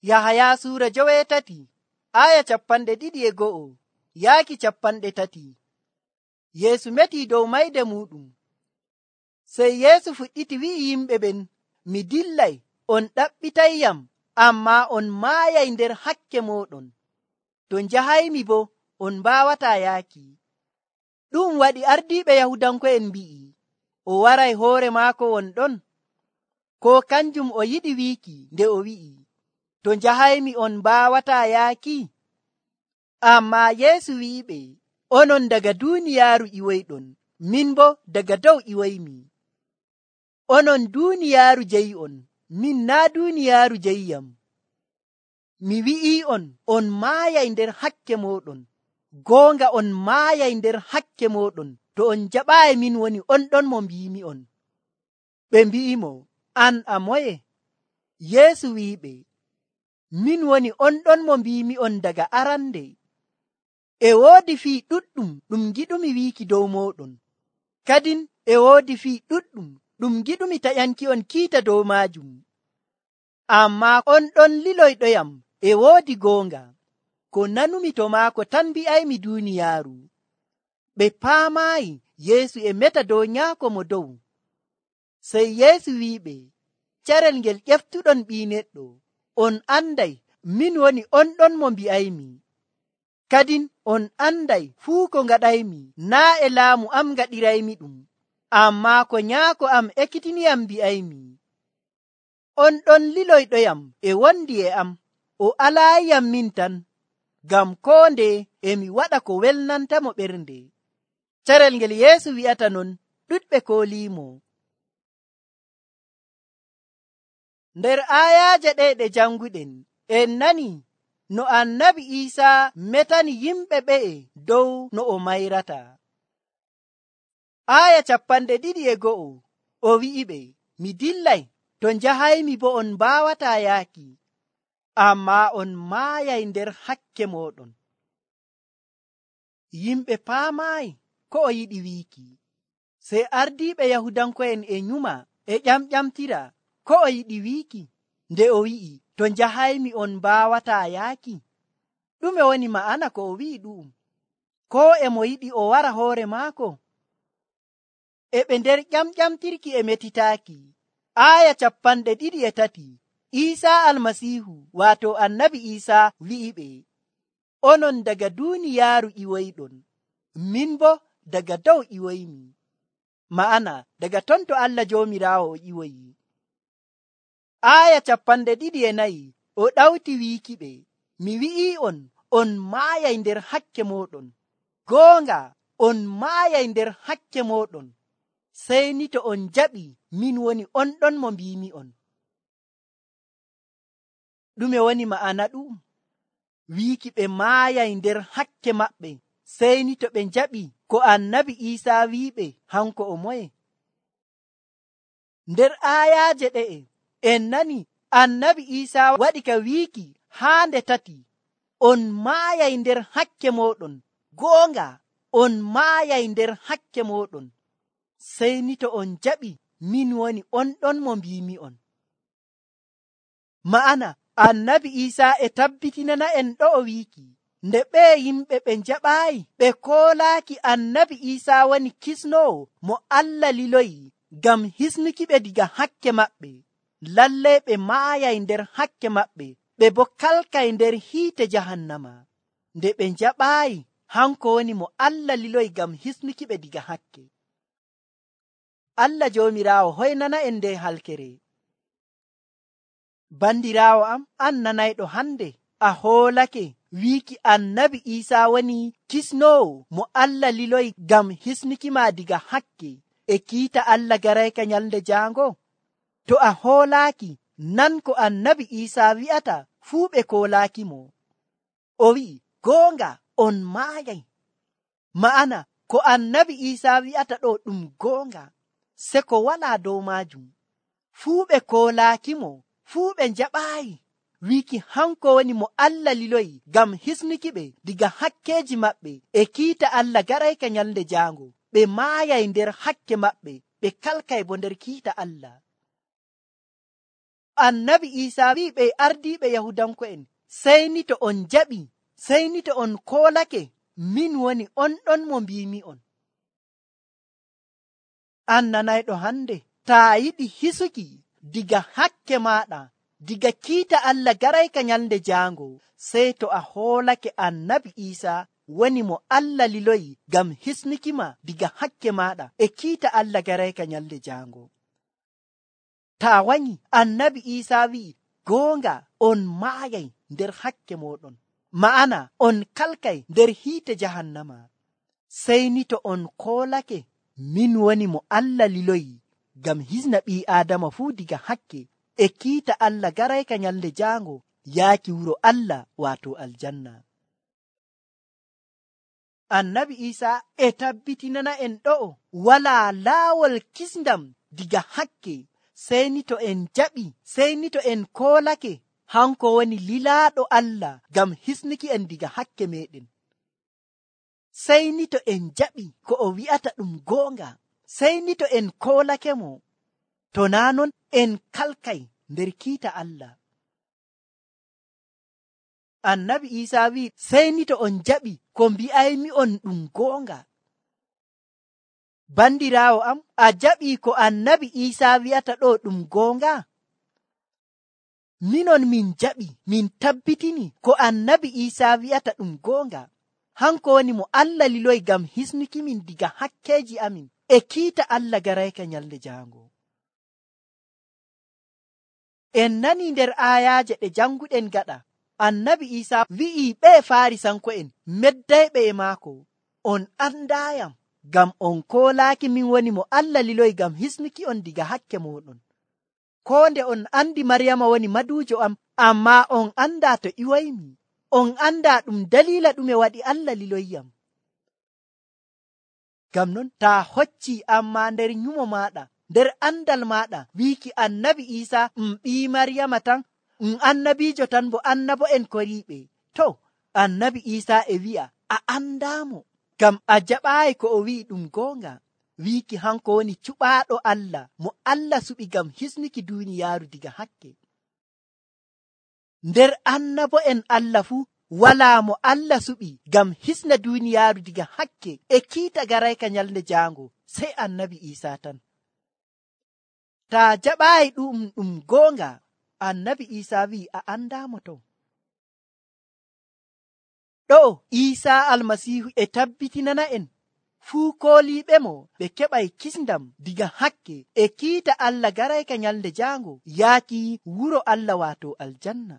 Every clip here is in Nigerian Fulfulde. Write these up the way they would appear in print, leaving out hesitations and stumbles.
Yahaya suura 8 aya 2:1 yaaki 3. Yeesu metii dow mayde muɗum. Sey Yeesu fuɗɗiti wi'i yimɓe ɓen, mi dillay, on ɗaɓɓitayyam, ammaa on maayay nder hakke mooɗon. To njahaymi bo, on mbaawataa yaaki. Ɗum waɗi ardiiɓe Yahudanko'en mbi'i, o waray hoore maako wonɗon? Ko kanjum o yiɗi wiiki nde o wi'i, to njahaymi on mbaawataa yaaki? Ammaa Yeesu wi'iɓe, onon daga duuniyaaru iwoyɗon, min bo daga dow iwoymi. Onon duuniyaaru jeyi'on, min naa duuniyaaru jeyiyam. Mi wi'i'on, on maayay nder hakke mooɗon. Goonga on maayay nder hakke mooɗon to on jaɓaayi min woni on ɗon mo mbiimi'on. Ɓe mbi'imo, an a moye? Yeesu wi'iɓe, min woni on ɗon mo mbiimi'on daga arande. E woodi fii ɗuɗɗum ɗum giɗumi wiiki dow mooɗon. Kadin e woodi fii ɗuɗɗum ɗum giɗumi taƴanki'on kiita dow maajum. Ammaa on ɗon liloyɗoyam e woodi goonga. Ko nanumi to maako tan mbi'aymi duuniyaaru. Ɓe paamaayi Yeesu e meta dow Nyaako mo dow. Sey Yeesu wi'iɓe, carel ngel ƴeftuɗon Ɓii Neɗɗo, on anday min woni on ɗon mo mbi'aymi. Kadin on anday fuu ko ngaɗaymi naa e laamu am ngaɗiraymi ɗum, ammaa ko Nyaako am ekkitiniyam mbi'aymi. On ɗon liloyɗoyam e wondi e am, o alaayiyam min tan, ngam koo nde emi waɗa ko welnantamo ɓernde. Carel ngel Yeesu wi'ata non, ɗuɗɓe kooliimo. Nder aayaaje ɗe ɗe janguɗen, en nani no Annabi Iisaa metani yimɓe ɓe'e dow no o mayrata. Aaya 21 o wi'iɓe, mi dillay, to njahaymi bo on mbaawataa yaaki, ammaa on maayay nder hakke mooɗon. Yimɓe paamaayi ko o yiɗi wiiki. Sey ardiiɓe Yahudanko'en e nyuma e ƴamƴamtira ko o yiɗi wiiki nde o wi'i, to njahaymi on mbaawataa yaaki. Ɗume woni ma'ana ko o wi'i ɗu'um? Ko e mo yiɗi o wara hoore maako? E ɓe nder ƴamƴamtirki e metitaaki. Aaya 23 Iisaa Almasiihu waato Annabi Iisaa wi'iɓe, onon daga duuniyaaru iwoyɗon, min bo daga dow iwoymi. Ma'ana daga ton to Allah Joomiraawo o iwoyi. Aaya 24 o ɗawti wiikiɓe, mi wi'i'on, on maayay nder hakke mooɗon. Goonga on maayay nder hakke mooɗon. Sey ni to on jaɓi min woni on ɗon mo mbiimi'on. Ɗume woni ma'ana ɗum? Wiiki ɓe maayay nder hakke maɓɓe, sey ni to ɓe jaɓi ko Annabi Iisaa wi'iɓe hanko o moye. Nder aayaaje ɗe'e en nani Annabi Iisaa waɗi ka wiiki haa nde 3, on maayay nder hakke mooɗon. Goonga on maayay nder hakke mooɗon. Sey ni to on jaɓi min woni on ɗon mo mbiimi'on. Ma'ana Annabi Iisaa e tabbitinana en ɗo o wiiki, nde ɓe yimɓe ɓe jaɓaayi ɓe koolaaki Annabi Iisaa woni kisnoowo mo Allah liloyi ngam hisnuki ɓe diga hakke maɓɓe, lallay ɓe maayay nder hakke maɓɓe, ɓe bo kalkay nder hiite jahannama. Nde ɓe jaɓaayi hanko woni mo Allah liloyi ngam hisnuki ɓe diga hakke. Allah Joomiraawo hoynana en nde halkere. Bandiraawo am, an nanayɗo hande, a hoolake wiiki Annabi Iisaa woni kisnoowo mo Allah liloyi ngam hisnuki ma diga hakke e kiita Allah garayka nyalde jaango? To a hoolaaki, nan ko Annabi Iisaa wi'ata fuu ɓe koolaaki mo. O wi'i, goonga on maayay. Ma'ana ko Annabi Iisaa wi'ata ɗo ɗum goonga, se ko walaa dow maajum. Fuu ɓe koolaaki mo, fuu ɓe jaɓaayi wiiki hanko woni mo Allah liloyi ngam hisnuki ɓe diga hakkeeji maɓɓe e kiita Allah garayka nyalde jaango. Ɓe maayay nder hakke maɓɓe, ɓe kalkay bo nder kiita Allah. annabi Iisaa wi'i ɓe ardiiɓe Yahudanko'en, sey ni to on jaɓi, sey ni to on koolake, min woni on ɗon mo mbiimi'on. An nanayɗo hande, taa yiɗi hisuki diga hakke maaɗa, diga kiita Allah garayka nyalnde jaango, sey to a hoolake annabi Iisaa woni mo Allah liloyi ngam hisnukima diga hakke maaɗa e kiita Allah garayka nyalnde jaango. Taa wanyi annabi Iisaa wi'i, goonga on maayay nder hakke mooɗon, ma'ana on kalkay nder hiite jahannama. Sey ni to on koolake, min woni mo Allah liloyi ngam hisna ɓii Aadama fuu diga hakke e kiita Allah garayka nyalnde jaango yaaki wuro Allah waato aljanna. Annabi Iisaa e tabbitinana en ɗo'o walaa laawol kisndam diga hakke, sey ni to en jaɓi, sey ni to en koolake, hanko woni lilaaɗo Allah ngam hisnuki en diga hakke meɗen. Sey ni to en jaɓi ko o wi'ata ɗum goonga, sey ni to en koolake mo, to naa non en kalkay nder kiita Allah. Annabi Iisaa wi'i, sey ni to on jaɓi ko mbi'aymi on ɗum goonga. Bandiraawo am, a jaɓi ko annabi Iisaa wi'ata ɗo ɗum goonga? Minon min jaɓi, min tabbitini ko annabi Iisaa wi'ata ɗum goonga. Hanko woni mo Allah liloyi ngam hisnuki min diga hakkeeji amin e kiita Allah garayka nyalnde jaango. En nani nder aayaaje ɗe janguɗen gaɗa, annabi Iisaa wi'i ɓe Faarisanko'en meddayɓe e maako, on andaayam ngam on koolaaki min woni mo Allah liloyi ngam hisnuki on diga hakke mooɗon. Koo nde on andi Maryama woni maduujo am, ammaa on andaa to iwaymi. On andaa ɗum daliila ɗume waɗi Allah liloyiyam. Ngam non taa hocci amma nder nyumo maaɗa, nder andal maaɗa, wiiki annabi Iisaa ɓii Maryama tan, annabiijo tan bo annabo'en koriiɓe. To, annabi Iisaa e wi'a a andaamo, ngam a jaɓaayi ko o wi'i ɗum goonga, wiiki hanko woni cuɓaaɗo Allah mo Allah suɓi ngam hisnuki duuniyaaru diga hakke. Nder annabo'en Allah fuu walaa mo Allah suɓi ngam hisna duuniyaaru diga hakke e kiita garayka nyalnde jaango, sey annabi Iisaa tan. Taa jaɓaayi ɗum goonga, annabi Iisaa wi'i a andaamo to. Ɗo Iisaa almasiihu e tabbitinana en fuu kooliiɓe mo ɓe keɓay kisndam diga hakke e kiita Allah garayka nyalnde jaango yaaki wuro Allah waato aljanna.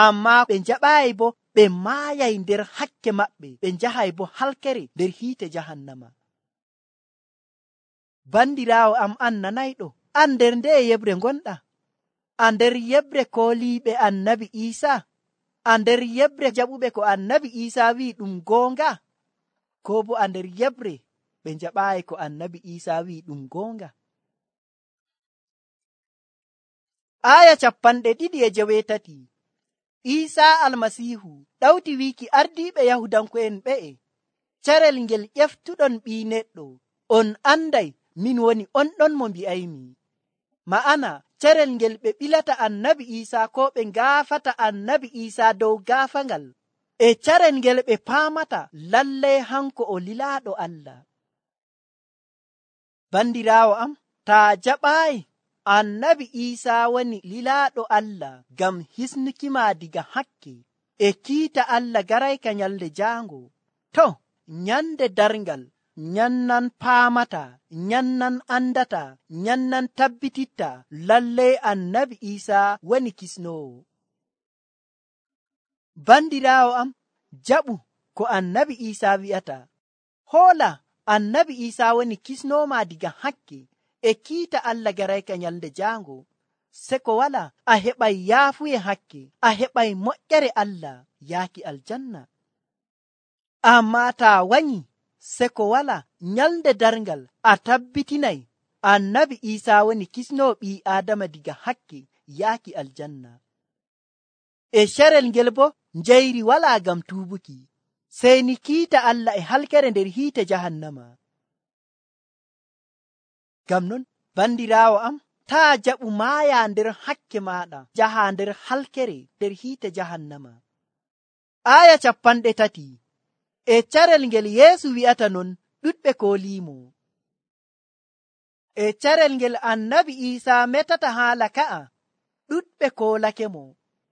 Ammaa ɓe jaɓaayi bo ɓe maayay nder hakke maɓɓe, ɓe njahay bo halkere nder hiite jahannama. Bandiraawo am, an nanayɗo, an nder nde yebre ngonɗa? A nder yebre kooliiɓe annabi Iisaa? A nder yebre jaɓuɓe ko annabi Iisaa wi'i ɗum goonga? Ko bo a nder yebre ɓe jaɓaayi ko annabi Iisaa wi'i ɗum goonga? Aya 2:18. Iisaa almasiihu ɗawti wiiki ardiiɓe Yahudanko'en ɓe'e, carel ngel ƴeftuɗon ɓii neɗɗo, on anday min woni on ɗon mo mbi'aymi. Ma'ana carel ngel ɓe ɓilata annabi Iisaa ko ɓe ngaafata annabi Iisaa dow gaafangal, e carel ngel ɓe paamata lallay hanko o lilaaɗo Allah. Bandiraawo am, taa jaɓaayi annabi Iisaa woni lilaaɗo Allah ngam hisnukima diga hakke e kiita Allah garayka nyalnde jaango, to nyande darngal nyannan paamata, nyannan andata, nyannan tabbititta lallay annabi Iisaa woni kisnoowo. Bandiraawo am, jaɓu ko annabi Iisaa wi'ata. Hoola annabi Iisaa woni kisnooma diga hakke e kiita Allah garayka nyalnde jaango, se ko wala a heɓay yaafuye hakke, a heɓay moƴƴere Allah yaaki aljanna. Ammaa taa wanyi se ko wala nyalnde darngal a tabbitinay annabi Iisaa woni kisnoo ɓii Aadama diga hakke yaaki aljanna. E carel ngel bo njayri walaa ngam tuubuki, sey ni kiita Allah e halkere nder hiite jahannama. Ngam non bandiraawo am, taa jaɓu maaya nder hakke maɗa jaha nder halkere nder hiite jahannama. Aya 30. E carel ngel Yeesu wi'ata non, ɗuɗɓe kooliimo. E carel ngel annabi Iisaa metata haala ka'a, ɗuɗɓe koolake mo.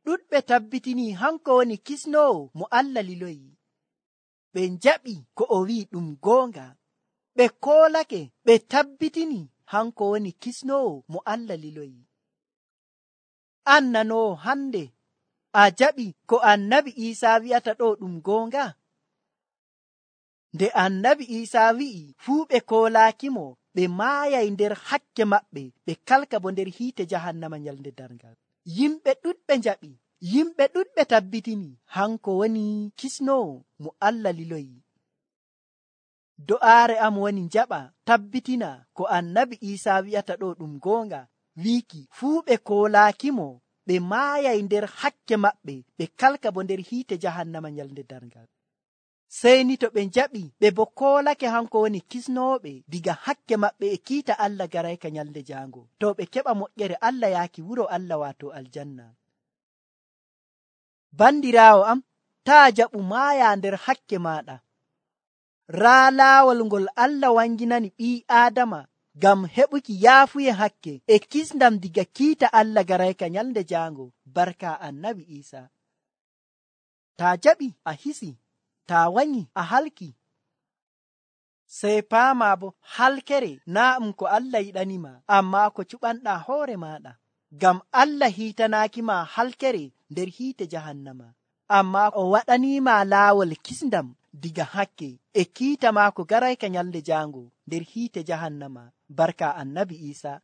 ɗuɗɓe tabbitini hanko woni kisnoowo mo Allah liloyi. ɓe njaɓi ko o wi'i ɗum goonga. ɓe koolake ɓe tabbitini hanko woni kisnoowo mo Allah liloyi. An nanoowo hande, a jaɓi ko annabi Iisaa wi'ata ɗo ɗum goonga? Nde annabi Iisaa wi'i fuu ɓe koolaakimo, ɓe maayay nder hakke maɓɓe, ɓe kalka bo nder hiite jahannama nyalnde darngal. Yimɓe ɗuɗɓe njaɓi, yimɓe ɗuɗɓe tabbitini hanko woni kisnoowo mo Allah liloyi. Do'aare am woni njaɓa tabbitina ko annabi Iisaa wi'ata ɗo ɗum goonga, wiiki fuu ɓe koolaakimo, ɓe maayay nder hakke maɓɓe, ɓe kalka bo nder hiite jahannama nyalnde darngal. Sey ni to ɓe njaɓi ɓe bo koolake hanko woni kisnooɓe diga hakke maɓɓe e kiita Allah garayka nyalnde jaango, to ɓe keɓa moƴƴere Allah yaaki wuro Allah waato aljanna. Bandiraawo am, taa jaɓu maaya nder hakke maɗa. Raa laawol ngol Allah wanginani ɓii Aadama ngam heɓuki yaafuye hakke e kisndam diga kiita Allah garayka nyalnde jaango barka annabi Iisaa. Taa jaɓi a hisi, taa wanyi a halki. Sey paama bo halkere naa ko Allah yiɗanima, amma ko cuɓanɗaa hoore maɗa. Ngam Allah hiitanaakima halkere nder hiite jahannama, amma o waɗanima laawol kisndam diga hakke e kiita maako garayka nyalnde jaango nder hiite jahannama barka annabi Iisaa.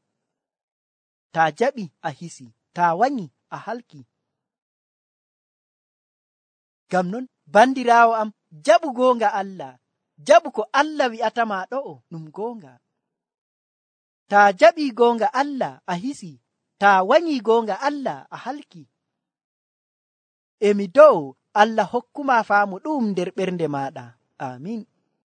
Taa jaɓi a hisi, taa wanyi a halki. Ngam non bandiraawo am, jaɓu goonga Allah, jaɓu ko Allah wi'atama ɗo'o ɗum goonga. Taa jaɓi goonga Allah a hisi, taa wanyi goonga Allah a halki. Emi do'o Allah hokkuma faamu ɗum nder ɓernde maɗa. Amin.